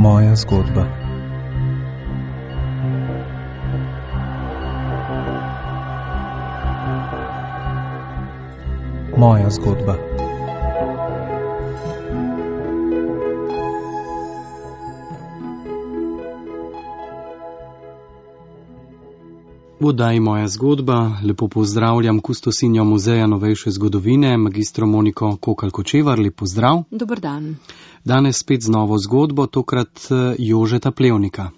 Moja zgodba. Moja zgodba. V oddaji Moja zgodba lepo pozdravljam kustosinjo Muzeja novejše zgodovine, magistro Moniko Kokalj-Kočevar. Lep pozdrav. Dober dan. Danes spet z novo zgodbo, tokrat Jožeta Plevnika.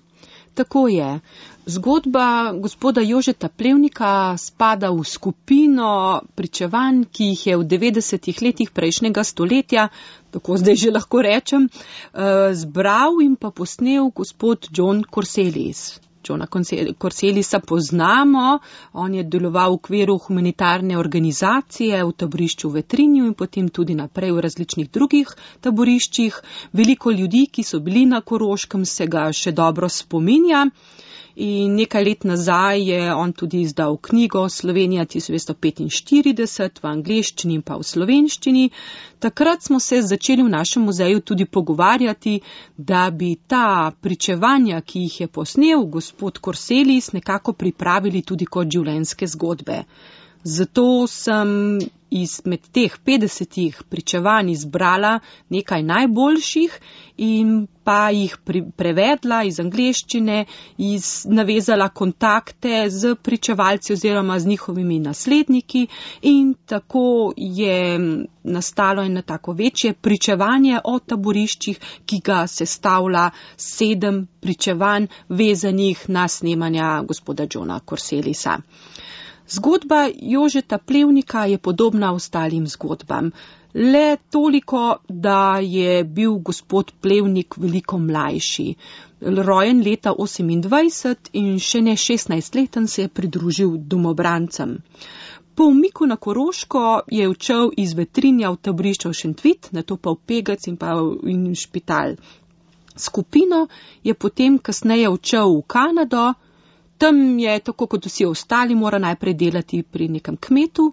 Tako je. Zgodba gospoda Jožeta Plevnika spada v skupino pričevanj, ki jih je v 90-ih letih prejšnjega stoletja, tako zdaj že lahko rečem, zbral in pa posnel gospod John Corselis. Johna Corselisa poznamo, on je deloval v okviru humanitarne organizacije v taborišču v Vetrinju in potem tudi naprej v različnih drugih taboriščih. Veliko ljudi, ki so bili na Koroškem, se ga še dobro spominja. In nekaj let nazaj je on tudi izdal knjigo Slovenija 1945 v angleščini in pa v slovenščini. Takrat smo se začeli v našem muzeju tudi pogovarjati, da bi ta pričevanja, ki jih je posnel gospod Corselis, nekako pripravili tudi kot življenjske zgodbe. Zato sem izmed teh 50 pričevanj izbrala nekaj najboljših in pa jih prevedla iz angleščine, navezala kontakte z pričevalci oziroma z njihovimi nasledniki in tako je nastalo eno tako večje pričevanje o taboriščih, ki ga sestavlja 7 pričevanj vezanih na snemanja gospoda Johna Corselisa. Zgodba Jožeta Plevnika je podobna ostalim zgodbam, le toliko, da je bil gospod Plevnik veliko mlajši. Rojen leta 28 in še ne 16-leten se je pridružil domobrancem. Po umiku na Koroško je odšel iz Vetrinja v taborišče v Šentvit, nato pa v Pegec in pa v Špital. Skupino je potem kasneje odšel v Kanado. Tam je, tako kot vsi ostali, mora najprej delati pri nekem kmetu,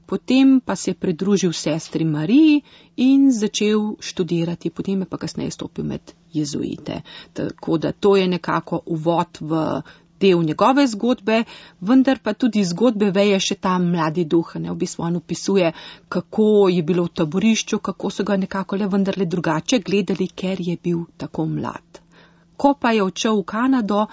potem pa se je pridružil sestri Mariji in začel študirati, potem je pa kasneje stopil med jezuite. Tako da to je nekako uvod v del njegove zgodbe, vendar pa tudi zgodbe veje še ta mladi duh. V bistvu on opisuje, kako je bilo v taborišču, kako so ga nekako le vendarle drugače gledali, ker je bil tako mlad. Ko pa je odšel v Kanado,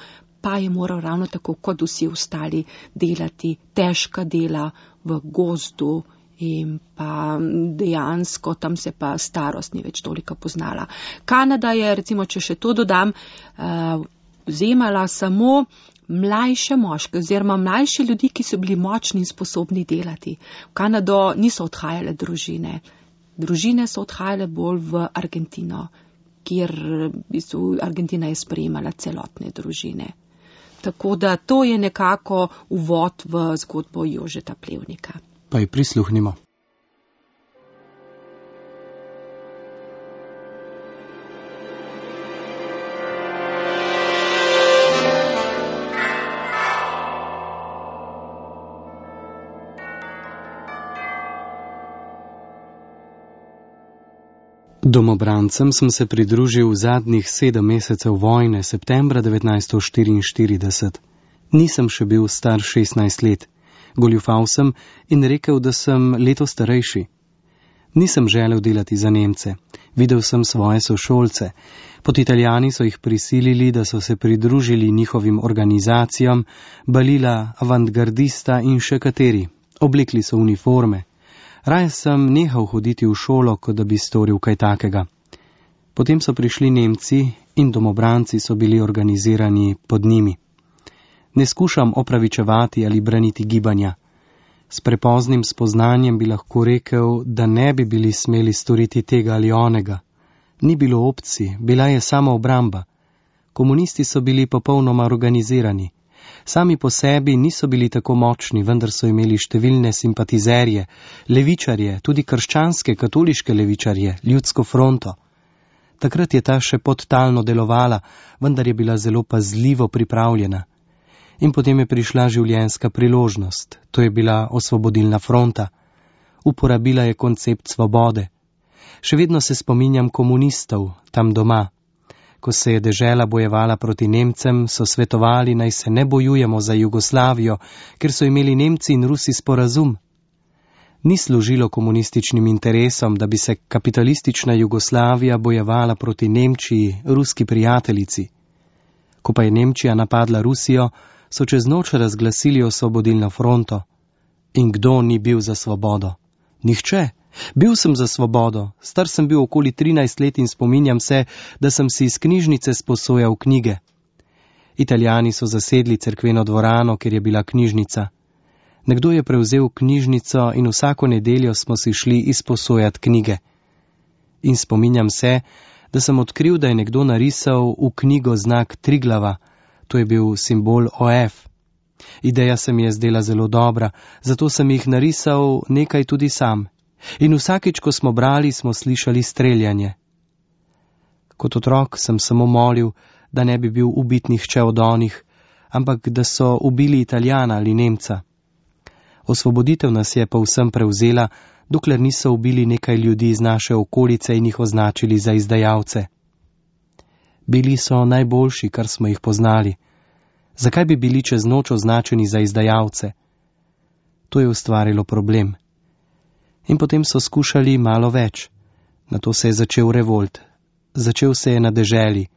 pa je moral ravno tako kot vsi ostali delati težka dela v gozdu in pa dejansko tam se pa starost ni več toliko poznala. Kanada je, recimo, če še to dodam, vzemala samo mlajše moške oziroma mlajše ljudi, ki so bili močni in sposobni delati. V Kanado niso odhajale družine. Družine so odhajale bolj v Argentino, kjer Argentina je sprejemala celotne družine. Tako da to je nekako uvod v zgodbo Jožeta Plevnika. Pa ji prisluhnimo. Domobrancem sem se pridružil v zadnjih 7 mesecev vojne, septembra 1944. Nisem še bil star 16 let. Goljufal sem in rekel, da sem leto starejši. Nisem želel delati za Nemce. Videl sem svoje sošolce. Pod Italijani so jih prisilili, da so se pridružili njihovim organizacijam, Balila, Avantgardista in še kateri. Oblekli so uniforme. Raje sem nehal hoditi v šolo, kot da bi storil kaj takega. Potem so prišli Nemci in domobranci so bili organizirani pod njimi. Ne skušam opravičevati ali braniti gibanja. S prepoznim spoznanjem bi lahko rekel, da ne bi bili smeli storiti tega ali onega. Ni bilo opcij, bila je samo obramba. Komunisti so bili popolnoma organizirani. Sami po sebi niso bili tako močni, vendar so imeli številne simpatizerje, levičarje, tudi krščanske, katoliške levičarje, ljudsko fronto. Takrat je ta še podtalno delovala, vendar je bila zelo pazljivo pripravljena. In potem je prišla življenjska priložnost, to je bila osvobodilna fronta. Uporabila je koncept svobode. Še vedno se spominjam komunistov, tam doma. Ko se je dežela bojevala proti Nemcem, so svetovali, naj se ne bojujemo za Jugoslavijo, ker so imeli Nemci in Rusi sporazum. Ni služilo komunističnim interesom, da bi se kapitalistična Jugoslavija bojevala proti Nemčiji, ruski prijateljici. Ko pa je Nemčija napadla Rusijo, so čez noč razglasili osvobodilno fronto. In kdo ni bil za svobodo? Nihče. Bil sem za svobodo. Star sem bil okoli 13 let in spominjam se, da sem si iz knjižnice sposojal knjige. Italijani so zasedli cerkveno dvorano, kjer je bila knjižnica. Nekdo je prevzel knjižnico in vsako nedeljo smo si šli izposojati knjige. In spominjam se, da sem odkril, da je nekdo narisal v knjigo znak Triglava, to je bil simbol OF. Ideja se mi je zdela zelo dobra, zato sem jih narisal nekaj tudi sam. In vsakič, ko smo brali, smo slišali streljanje. Kot otrok sem samo molil, da ne bi bil ubit nihče od onih, ampak da so ubili Italijana ali Nemca. Osvoboditev nas je povsem prevzela, dokler niso ubili nekaj ljudi iz naše okolice in jih označili za izdajalce. Bili so najboljši, kar smo jih poznali. Zakaj bi bili čez noč označeni za izdajalce? To je ustvarilo problem. In potem so skušali malo več. Nato se je začel revolt. Začel se je na deželi.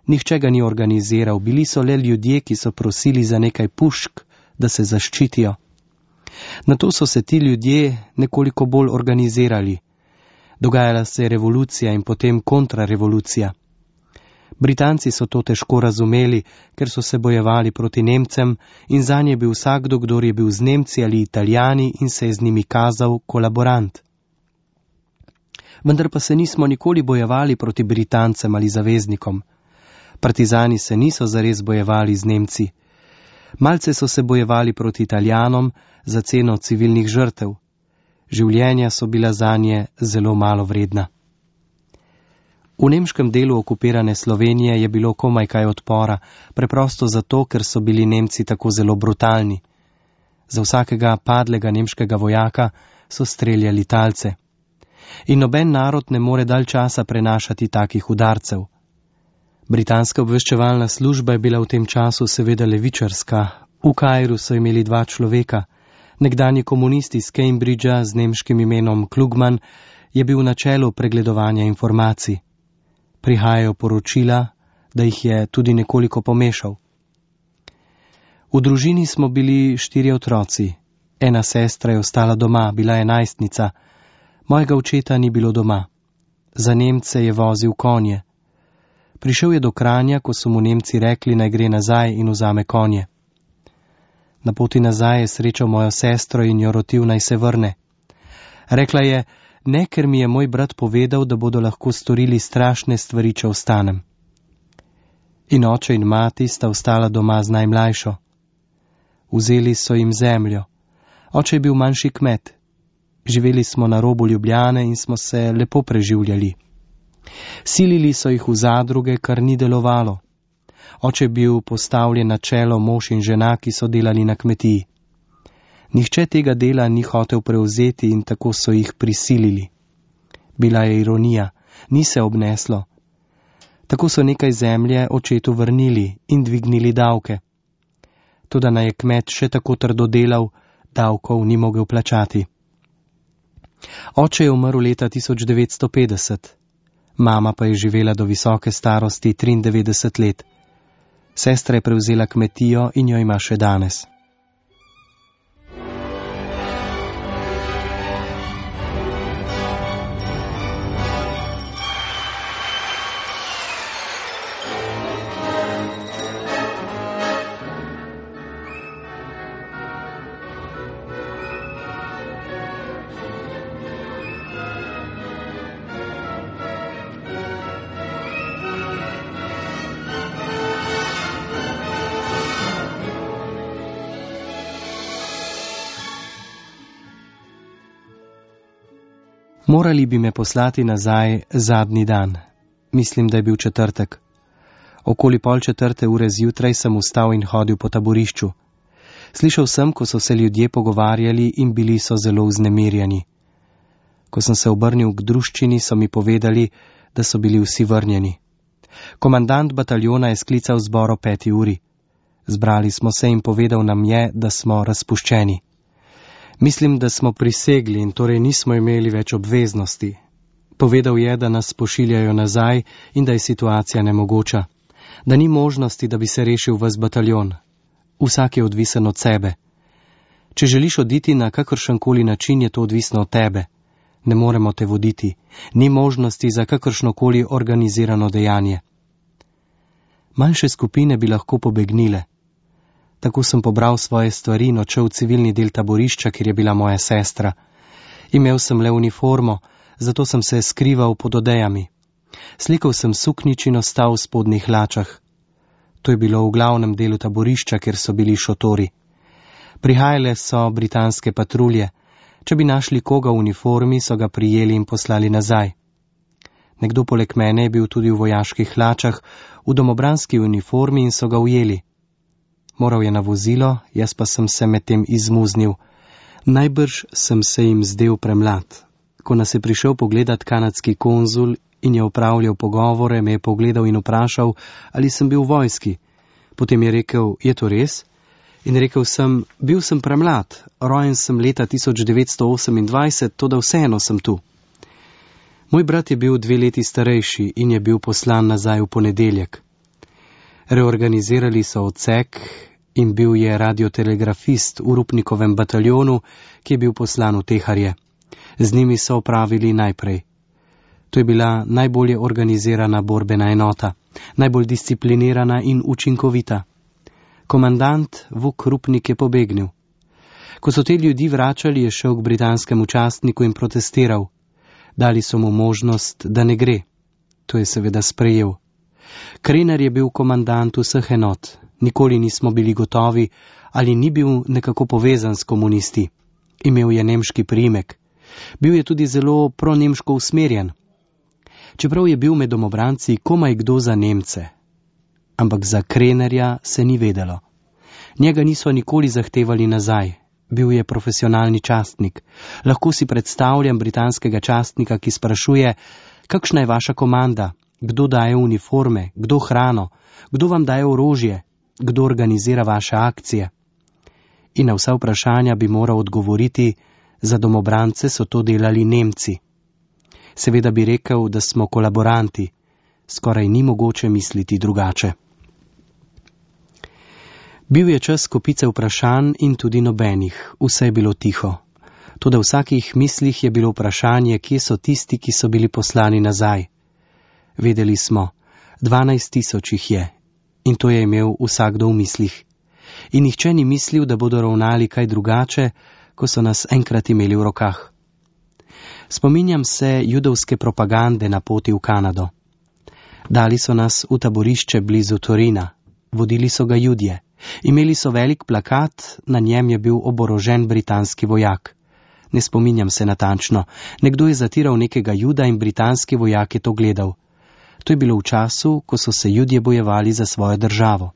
Nihče ga ni organiziral, bili so le ljudje, ki so prosili za nekaj pušk, da se zaščitijo. Nato so se ti ljudje nekoliko bolj organizirali. Dogajala se je revolucija in potem kontrarevolucija. Britanci so to težko razumeli, ker so se bojevali proti Nemcem in zanje je bil vsakdo, kdor je bil z Nemci ali Italijani in se je z njimi kazal kolaborant. Vendar pa se nismo nikoli bojevali proti Britancem ali zaveznikom. Partizani se niso zares bojevali z Nemci. Malce so se bojevali proti Italijanom za ceno civilnih žrtev. Življenja so bila zanje zelo malo vredna. V nemškem delu okupirane Slovenije je bilo komaj kaj odpora, preprosto zato, ker so bili Nemci tako zelo brutalni. Za vsakega padlega nemškega vojaka so streljali talce. In noben narod ne more dalj časa prenašati takih udarcev. Britanska obveščevalna služba je bila v tem času seveda levičarska. V Kairu so imeli 2 človeka. Nekdanji komunist iz Cambridgea z nemškim imenom Klugman je bil na čelu pregledovanja informacij. Prihajajo poročila, da jih je tudi nekoliko pomešal. V družini smo bili 4 otroci. Ena sestra je ostala doma, bila je najstnica. Mojega očeta ni bilo doma. Za Nemce je vozil konje. Prišel je do Kranja, ko so mu Nemci rekli, naj gre nazaj in vzame konje. Na poti nazaj je srečal mojo sestro in jo rotil, naj se vrne. Rekla je, ne, ker mi je moj brat povedal, da bodo lahko storili strašne stvari, če ostanem. In oče in mati sta ostala doma z najmlajšo. Vzeli so jim zemljo. Oče je bil manjši kmet. Živeli smo na robu Ljubljane in smo se lepo preživljali. Silili so jih v zadruge, kar ni delovalo. Oče je bil postavljen na čelo mož in žena, ki so delali na kmetiji. Nihče tega dela ni hotel prevzeti in tako so jih prisilili. Bila je ironija, ni se obneslo. Tako so nekaj zemlje očetu vrnili in dvignili davke. Toda naj je kmet še tako trdo delal, davkov ni mogel plačati. Oče je umrl leta 1950, mama pa je živela do visoke starosti 93 let. Sestra je prevzela kmetijo in jo ima še danes. Morali bi me poslati nazaj zadnji dan. Mislim, da je bil četrtek. Okoli 3:30 zjutraj sem vstal in hodil po taborišču. Slišal sem, ko so se ljudje pogovarjali in bili so zelo vznemirjeni. Ko sem se obrnil k druščini, so mi povedali, da so bili vsi vrnjeni. Komandant bataljona je sklical zbor o 5. uri. Zbrali smo se in povedal nam je, da smo razpuščeni. Mislim, da smo prisegli in torej nismo imeli več obveznosti. Povedal je, da nas pošiljajo nazaj in da je situacija nemogoča. Da ni možnosti, da bi se rešil ves bataljon. Vsak je odvisen od sebe. Če želiš oditi na kakršenkoli način, je to odvisno od tebe. Ne moremo te voditi. Ni možnosti za kakršnokoli organizirano dejanje. Manjše skupine bi lahko pobegnile. Tako sem pobral svoje stvari in odšel v civilni del taborišča, kjer je bila moja sestra. Imel sem le uniformo, zato sem se skrival pod odejami. Slikal sem suknič in ostal v spodnjih hlačah. To je bilo v glavnem delu taborišča, kjer so bili šotori. Prihajale so britanske patrulje. Če bi našli koga v uniformi, so ga prijeli in poslali nazaj. Nekdo poleg mene je bil tudi v vojaških hlačah, v domobranski uniformi in so ga ujeli. Moral je na vozilo, jaz pa sem se medtem izmuznil. Najbrž sem se jim zdel premlad. Ko nas je prišel pogledat kanadski konzul in je opravljal pogovore, me je pogledal in vprašal, ali sem bil v vojski. Potem je rekel, je to res? In rekel sem, bil sem premlad, rojen sem leta 1928, toda vseeno sem tu. Moj brat je bil 2 leti starejši in je bil poslan nazaj v ponedeljek. Reorganizirali so odsek in bil je radiotelegrafist v Rupnikovem bataljonu, ki je bil poslan v Teharje. Z njimi so opravili najprej. To je bila najbolje organizirana borbena enota, najbolj disciplinirana in učinkovita. Komandant Vuk Rupnik je pobegnil. Ko so te ljudi vračali, je šel k britanskemu častniku in protestiral. Dali so mu možnost, da ne gre. To je seveda sprejel. Krener je bil komandant vseh enot. Nikoli nismo bili gotovi, ali ni bil nekako povezan s komunisti. Imel je nemški priimek. Bil je tudi zelo pronemško usmerjen. Čeprav je bil med domobranci komaj kdo za Nemce. Ampak za Krenerja se ni vedelo. Njega niso nikoli zahtevali nazaj. Bil je profesionalni častnik. Lahko si predstavljam britanskega častnika, ki sprašuje, kakšna je vaša komanda, kdo daje uniforme, kdo hrano, kdo vam daje orožje, kdo organizira vaše akcije. In na vsa vprašanja bi moral odgovoriti, za domobrance so to delali Nemci. Seveda bi rekel, da smo kolaboranti. Skoraj ni mogoče misliti drugače. Bil je čas kopice vprašanj in tudi nobenih, vse je bilo tiho. Toda v vsakih mislih je bilo vprašanje, kje so tisti, ki so bili poslani nazaj. Vedeli smo, 12.000 jih je, in to je imel vsakdo v mislih. In nihče ni mislil, da bodo ravnali kaj drugače, ko so nas enkrat imeli v rokah. Spominjam se judovske propagande na poti v Kanado. Dali so nas v taborišče blizu Torina, vodili so ga Judje. Imeli so velik plakat, na njem je bil oborožen britanski vojak. Ne spominjam se natančno, nekdo je zatiral nekega Juda in britanski vojak je to gledal. To je bilo v času, ko so se Judje bojevali za svojo državo.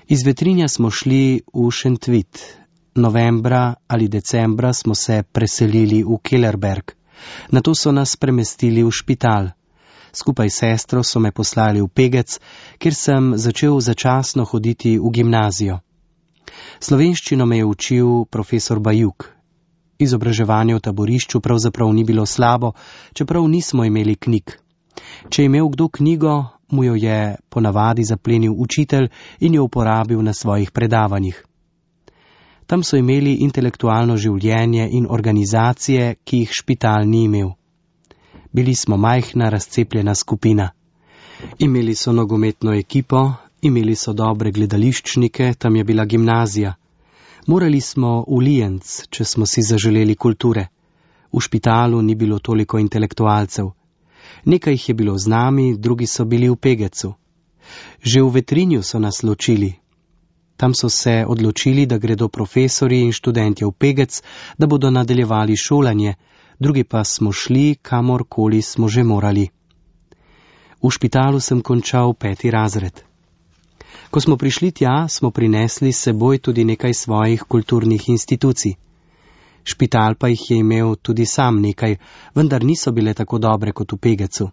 Iz Vetrinja smo šli v Šentvit. Novembra ali decembra smo se preselili v Kellerberg. Nato so nas premestili v špital. Skupaj s sestro so me poslali v Pegec, kjer sem začel začasno hoditi v gimnazijo. Slovenščino me je učil profesor Bajuk. Izobraževanje v taborišču pravzaprav ni bilo slabo, čeprav nismo imeli knjig. Če je imel kdo knjigo, mu jo je ponavadi zaplenil učitelj in jo uporabil na svojih predavanjih. Tam so imeli intelektualno življenje in organizacije, ki jih špital ni imel. Bili smo majhna, razcepljena skupina. Imeli so nogometno ekipo, imeli so dobre gledališčnike, tam je bila gimnazija. Morali smo v Lijenc, če smo si zaželeli kulture. V špitalu ni bilo toliko intelektualcev. Nekaj jih je bilo z nami, drugi so bili v Pegecu. Že v Vetrinju so nas ločili. Tam so se odločili, da gredo profesori in študentje v Pegec, da bodo nadaljevali šolanje, drugi pa smo šli, kamorkoli smo že morali. V špitalu sem končal 5. razred. Ko smo prišli tja, smo prinesli s seboj tudi nekaj svojih kulturnih institucij. Špital pa jih je imel tudi sam nekaj, vendar niso bile tako dobre kot v Pegecu.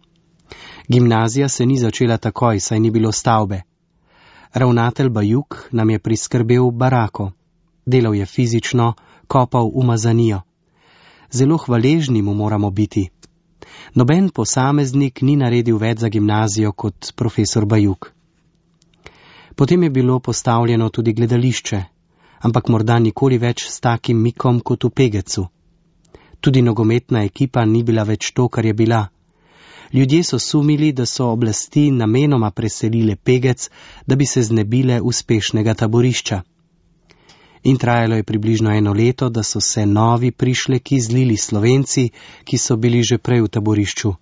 Gimnazija se ni začela takoj, saj ni bilo stavbe. Ravnatelj Bajuk nam je priskrbel barako. Delal je fizično, kopal umazanijo. Zelo hvaležni mu moramo biti. Noben posameznik ni naredil več za gimnazijo kot profesor Bajuk. Potem je bilo postavljeno tudi gledališče, ampak morda nikoli več s takim mikom kot v Pegecu. Tudi nogometna ekipa ni bila več to, kar je bila. Ljudje so sumili, da so oblasti namenoma preselile Pegec, da bi se znebile uspešnega taborišča. In trajalo je približno 1 leto, da so se novi prišleki zlili Slovenci, ki so bili že prej v taborišču.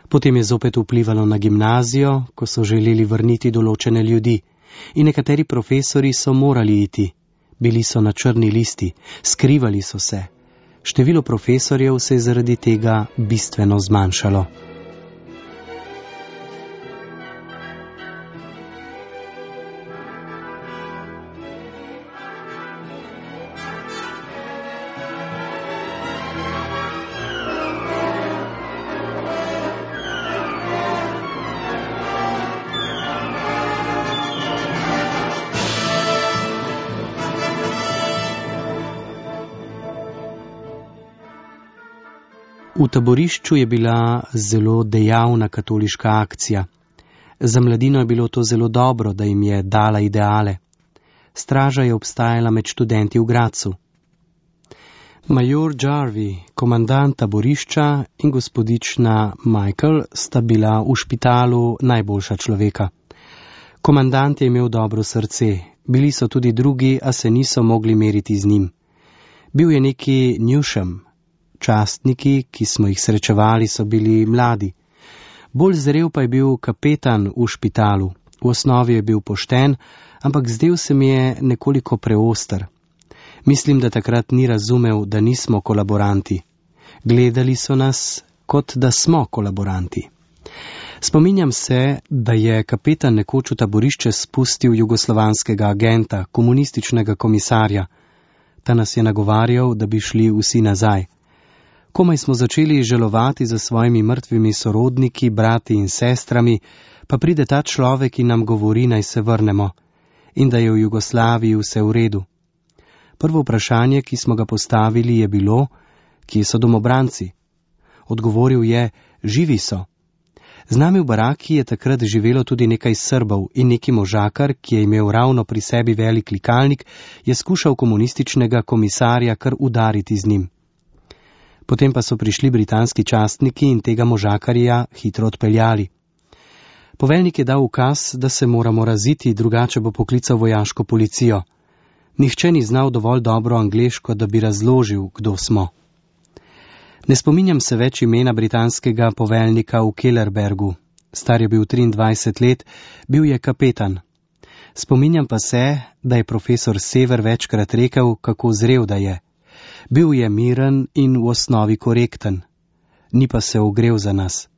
Potem je zopet vplivalo na gimnazijo, ko so želeli vrniti določene ljudi. In nekateri profesori so morali iti. Bili so na črni listi, skrivali so se. Število profesorjev se je zaradi tega bistveno zmanjšalo. V taborišču je bila zelo dejavna katoliška akcija. Za mladino je bilo to zelo dobro, da jim je dala ideale. Straža je obstajala med študenti v Gracu. Major Jarvi, komandant taborišča, in gospodična Michael sta bila v špitalu najboljša človeka. Komandant je imel dobro srce, bili so tudi drugi, a se niso mogli meriti z njim. Bil je neki Newsham. Častniki, ki smo jih srečevali, so bili mladi. Bolj zrel pa je bil kapetan v špitalu. V osnovi je bil pošten, ampak zdel se mi je nekoliko preoster. Mislim, da takrat ni razumel, da nismo kolaboranti. Gledali so nas, kot da smo kolaboranti. Spominjam se, da je kapetan nekoč v taborišče spustil jugoslovanskega agenta, komunističnega komisarja. Ta nas je nagovarjal, da bi šli vsi nazaj. Komaj smo začeli žalovati za svojimi mrtvimi sorodniki, brati in sestrami, pa pride ta človek in nam govori, naj se vrnemo in da je v Jugoslaviji vse v redu. Prvo vprašanje, ki smo ga postavili, je bilo, kje so domobranci? Odgovoril je, živi so. Z nami v baraki je takrat živelo tudi nekaj Srbov in neki možakar, ki je imel ravno pri sebi velik likalnik, je skušal komunističnega komisarja kar udariti z njim. Potem pa so prišli britanski častniki in tega možakarja hitro odpeljali. Poveljnik je dal ukaz, da se moramo raziti, drugače bo poklical vojaško policijo. Nihče ni znal dovolj dobro angleško, da bi razložil, kdo smo. Ne spominjam se več imena britanskega poveljnika v Kellerbergu. Star je bil 23 let, bil je kapetan. Spominjam pa se, da je profesor Sever večkrat rekel, kako zrel da je. Bil je miren in v osnovi korekten. Ni pa se ogrel za nas.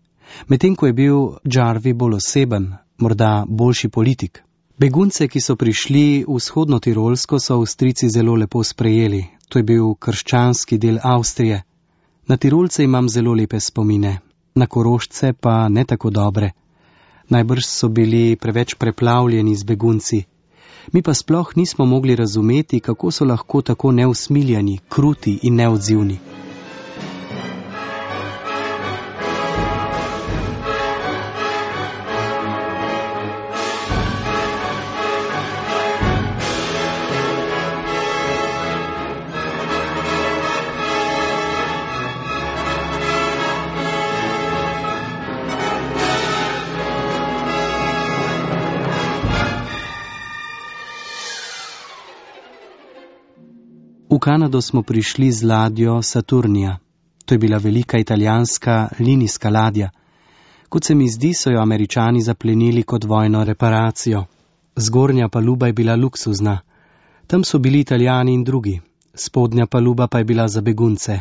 Medtem ko je bil Jarvi bolj oseben, morda boljši politik. Begunce, ki so prišli v vzhodno Tirolsko, so Avstrijci zelo lepo sprejeli. To je bil krščanski del Avstrije. Na Tirolce imam zelo lepe spomine, na Korošce pa ne tako dobre. Najbrž so bili preveč preplavljeni z begunci. Mi pa sploh nismo mogli razumeti, kako so lahko tako neusmiljeni, kruti in neodzivni. V Kanado smo prišli z ladjo Saturnija. To je bila velika italijanska linijska ladja. Kot se mi zdi, so jo Američani zaplenili kot vojno reparacijo. Zgornja paluba je bila luksuzna. Tam so bili Italijani in drugi. Spodnja paluba pa je bila za begunce.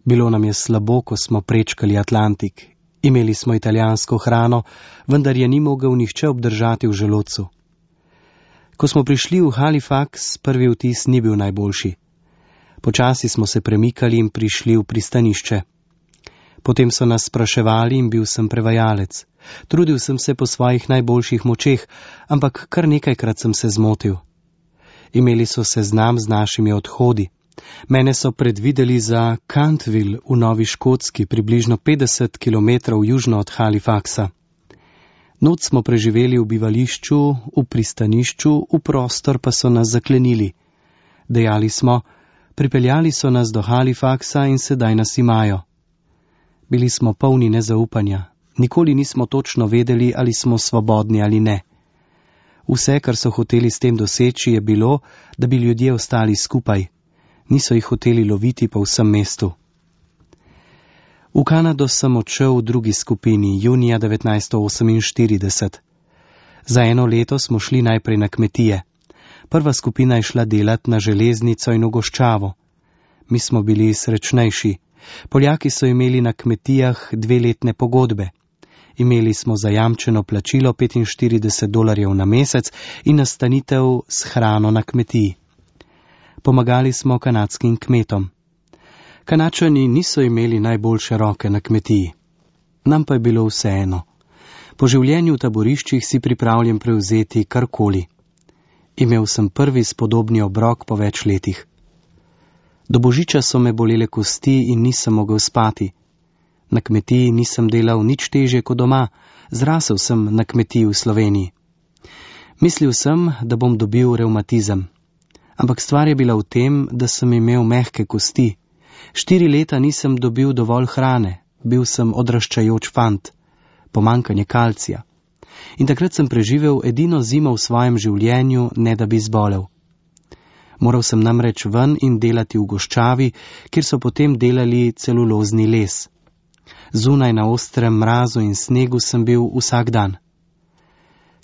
Bilo nam je slabo, ko smo prečkali Atlantik. Imeli smo italijansko hrano, vendar je ni mogel nihče obdržati v želodcu. Ko smo prišli v Halifax, prvi vtis ni bil najboljši. Počasi smo se premikali in prišli v pristanišče. Potem so nas spraševali in bil sem prevajalec. Trudil sem se po svojih najboljših močeh, ampak kar nekajkrat sem se zmotil. Imeli so seznam z našimi odhodi. Mene so predvideli za Cantville v Novi Škotski, približno 50 km južno od Halifaxa. Noč smo preživeli v bivališču, v pristanišču, v prostor pa so nas zaklenili. Dejali smo, pripeljali so nas do Halifaxa in sedaj nas imajo. Bili smo polni nezaupanja. Nikoli nismo točno vedeli, ali smo svobodni ali ne. Vse, kar so hoteli s tem doseči, je bilo, da bi ljudje ostali skupaj. Niso jih hoteli loviti po vsem mestu. V Kanado sem odšel v drugi skupini, junija 1948. Za 1 leto smo šli najprej na kmetije. Prva skupina je šla delat na železnico in v goščavo. Mi smo bili srečnejši. Poljaki so imeli na kmetijah 2-letne pogodbe. Imeli smo zajamčeno plačilo $45 na mesec in nastanitev s hrano na kmetiji. Pomagali smo kanadskim kmetom. Kanačani niso imeli najboljše roke na kmetiji. Nam pa je bilo vseeno. Po življenju v taboriščih si pripravljen prevzeti karkoli. Imel sem prvi spodobni obrok po več letih. Do božiča so me bolele kosti in nisem mogel spati. Na kmetiji nisem delal nič težje kot doma, zrasel sem na kmetiji v Sloveniji. Mislil sem, da bom dobil revmatizem. Ampak stvar je bila v tem, da sem imel mehke kosti. 4 leta nisem dobil dovolj hrane, bil sem odraščajoč fant, pomanjkanje kalcija. In takrat sem preživel edino zimo v svojem življenju, ne da bi zbolel. Moral sem namreč ven in delati v goščavi, kjer so potem delali celulozni les. Zunaj na ostrem mrazu in snegu sem bil vsak dan.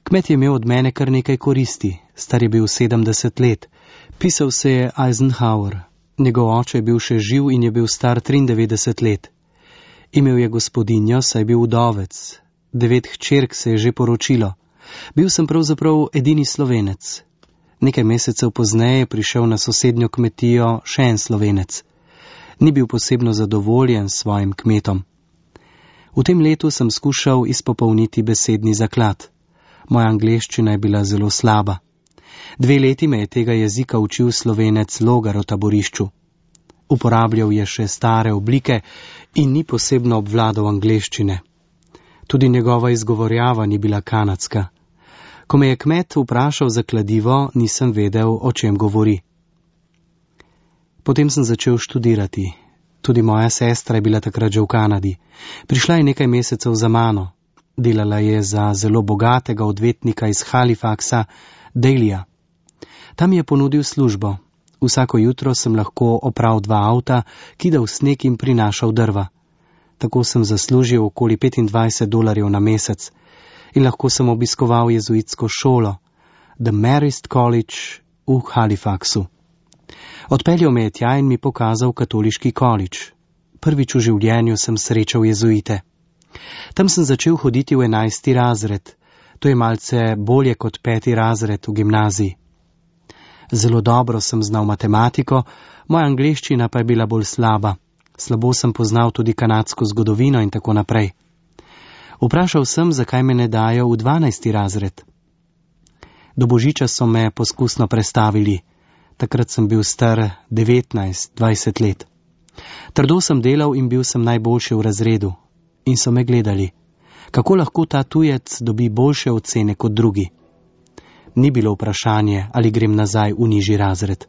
Kmet je imel od mene kar nekaj koristi, star je bil 70 let. Pisal se je Eisenhower. Njegov oče je bil še živ in je bil star 93 let. Imel je gospodinjo, saj je bil vdovec. 9 hčerk se je že poročilo. Bil sem pravzaprav edini Slovenec. Nekaj mesecev pozneje je prišel na sosednjo kmetijo še en Slovenec. Ni bil posebno zadovoljen s svojim kmetom. V tem letu sem skušal izpopolniti besedni zaklad. Moja angleščina je bila zelo slaba. 2 leti me je tega jezika učil Slovenec Logar v taborišču. Uporabljal je še stare oblike in ni posebno obvladal angleščine. Tudi njegova izgovorjava ni bila kanadska. Ko me je kmet vprašal za kladivo, nisem vedel, o čem govori. Potem sem začel študirati. Tudi moja sestra je bila takrat že v Kanadi. Prišla je nekaj mesecev za mano. Delala je za zelo bogatega odvetnika iz Halifaxa, Dalija. Tam je ponudil službo. Vsako jutro sem lahko opral 2 avta, kidal sneg in prinašal drva. Tako sem zaslužil okoli $25 na mesec in lahko sem obiskoval jezuitsko šolo, The Marist College v Halifaxu. Odpeljal me je tja in mi pokazal katoliški college. Prvič v življenju sem srečal jezuite. Tam sem začel hoditi v 11. razred. To je malce bolje kot 5. razred v gimnaziji. Zelo dobro sem znal matematiko, moja angleščina pa je bila bolj slaba. Slabo sem poznal tudi kanadsko zgodovino in tako naprej. Vprašal sem, zakaj me ne dajo v 12. razred. Do božiča so me poskusno prestavili. Takrat sem bil star 19-20 let. Trdo sem delal in bil sem najboljši v razredu. In so me gledali. Kako lahko ta tujec dobi boljše ocene kot drugi? Ni bilo vprašanje, ali grem nazaj v nižji razred.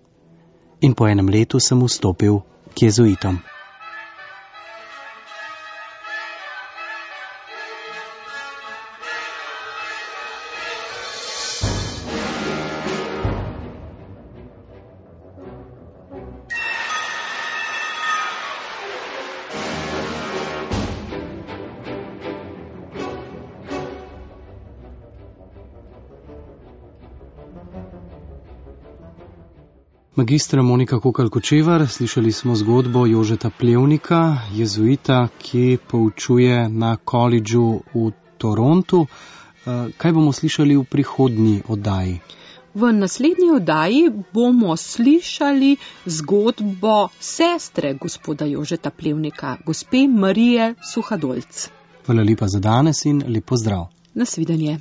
In po 1 letu sem vstopil k jezuitom. Magistra Monika Kokalj-Kočevar, slišali smo zgodbo Jožeta Plevnika, jezuita, ki poučuje na koledžu v Torontu. Kaj bomo slišali v prihodnji oddaji? V naslednji oddaji bomo slišali zgodbo sestre gospoda Jožeta Plevnika, gospe Marije Suhadolc. Hvala lepa za danes in lep pozdrav. Nasvidenje.